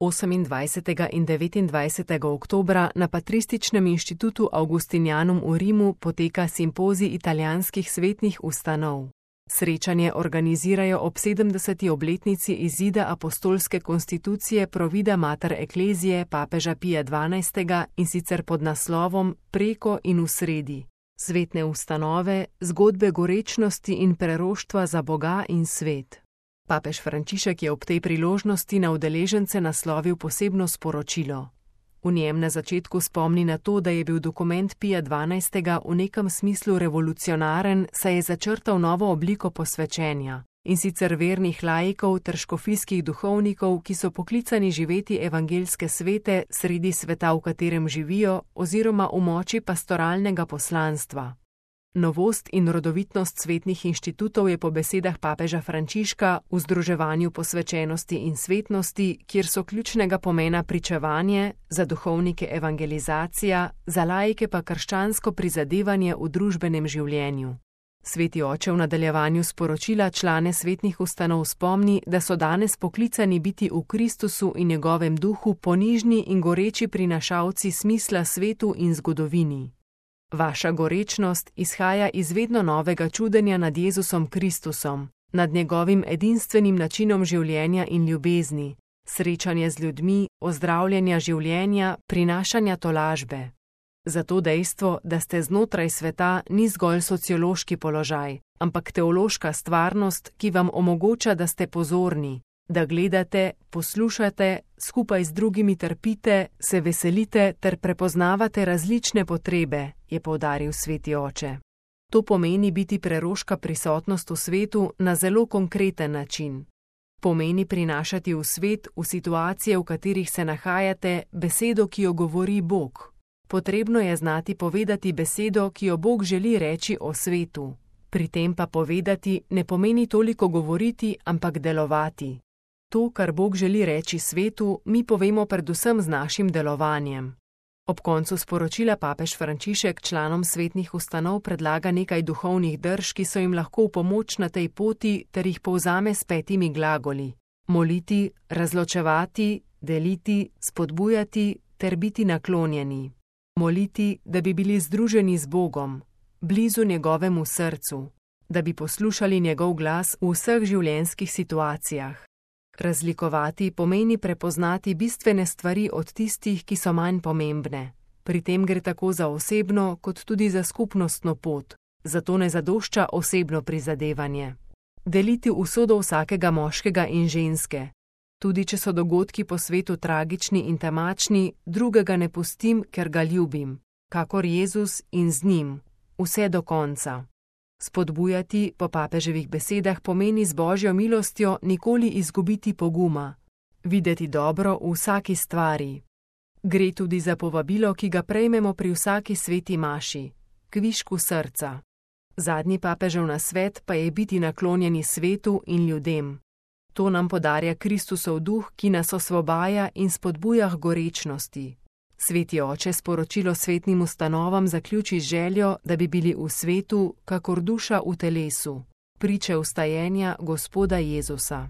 28. in 29. oktobra na Patrističnem inštitutu Augustinianum v Rimu poteka simpozij italijanskih svetnih ustanov. Srečanje organizirajo ob 70. obletnici izida apostolske konstitucije Provida Mater Ecclesiae papeža Pija XII. In sicer pod naslovom Preko in v sredi. Svetne ustanove, zgodbe gorečnosti in preroštva za Boga in svet. Papež Frančišek je ob tej priložnosti na udeležence naslovil posebno sporočilo. V njem na začetku spomni na to, da je bil dokument Pija XII. V nekem smislu revolucionaren, saj je začrtal novo obliko posvečenja, in sicer vernih laikov ter škofijskih duhovnikov, ki so poklicani živeti evangeljske svete sredi sveta, v katerem živijo, oziroma v moči pastoralnega poslanstva. Novost in rodovitnost svetnih inštitutov je po besedah papeža Frančiška v združevanju posvečenosti in svetnosti, kjer so ključnega pomena pričevanje, za duhovnike evangelizacija, za laike pa krščansko prizadevanje v družbenem življenju. Sveti oče v nadaljevanju sporočila člane svetnih ustanov spomni, da so danes poklicani biti v Kristusu in njegovem duhu ponižni in goreči prinašalci smisla svetu in zgodovini. Vaša gorečnost izhaja iz vedno novega čudenja nad Jezusom Kristusom, nad njegovim edinstvenim načinom življenja in ljubezni, srečanja z ljudmi, ozdravljanja življenja, prinašanja tolažbe. Zato dejstvo, da ste znotraj sveta, ni zgolj sociološki položaj, ampak teološka stvarnost, ki vam omogoča, da ste pozorni, da gledate, poslušate, skupaj z drugimi trpite, se veselite ter prepoznavate različne potrebe, je poudaril sveti oče. To pomeni biti preroška prisotnost v svetu na zelo konkreten način. Pomeni prinašati v svet, v situacije, v katerih se nahajate, besedo, ki jo govori Bog. Potrebno je znati povedati besedo, ki jo Bog želi reči o svetu. Pri tem pa povedati ne pomeni toliko govoriti, ampak delovati. To, kar Bog želi reči svetu, mi povemo predvsem z našim delovanjem. Ob koncu sporočila papež Frančišek članom svetnih ustanov predlaga nekaj duhovnih drž, ki so jim lahko v pomoč na tej poti, ter jih povzame s 5 glagoli: moliti, razločevati, deliti, spodbujati ter biti naklonjeni. Moliti, da bi bili združeni z Bogom, blizu njegovemu srcu, da bi poslušali njegov glas v vseh življenjskih situacijah. Razlikovati pomeni prepoznati bistvene stvari od tistih, ki so manj pomembne. Pri tem gre tako za osebno, kot tudi za skupnostno pot, zato ne zadošča osebno prizadevanje. Deliti usodo vsakega moškega in ženske. Tudi če so dogodki po svetu tragični in temačni, drugega ne pustim, ker ga ljubim, kakor Jezus in z njim, vse do konca. Spodbujati, po papeževih besedah, pomeni z Božjo milostjo nikoli izgubiti poguma, videti dobro v vsaki stvari. Gre tudi za povabilo, ki ga prejmemo pri vsaki sveti maši, kvišku srca. Zadnji papežev nasvet pa je biti naklonjeni svetu in ljudem. To nam podarja Kristusov duh, ki nas osvobaja in spodbuja k gorečnosti. Sveti oče sporočilo svetnim ustanovam zaključi z željo, da bi bili v svetu, kakor duša v telesu, priče vstajenja Gospoda Jezusa.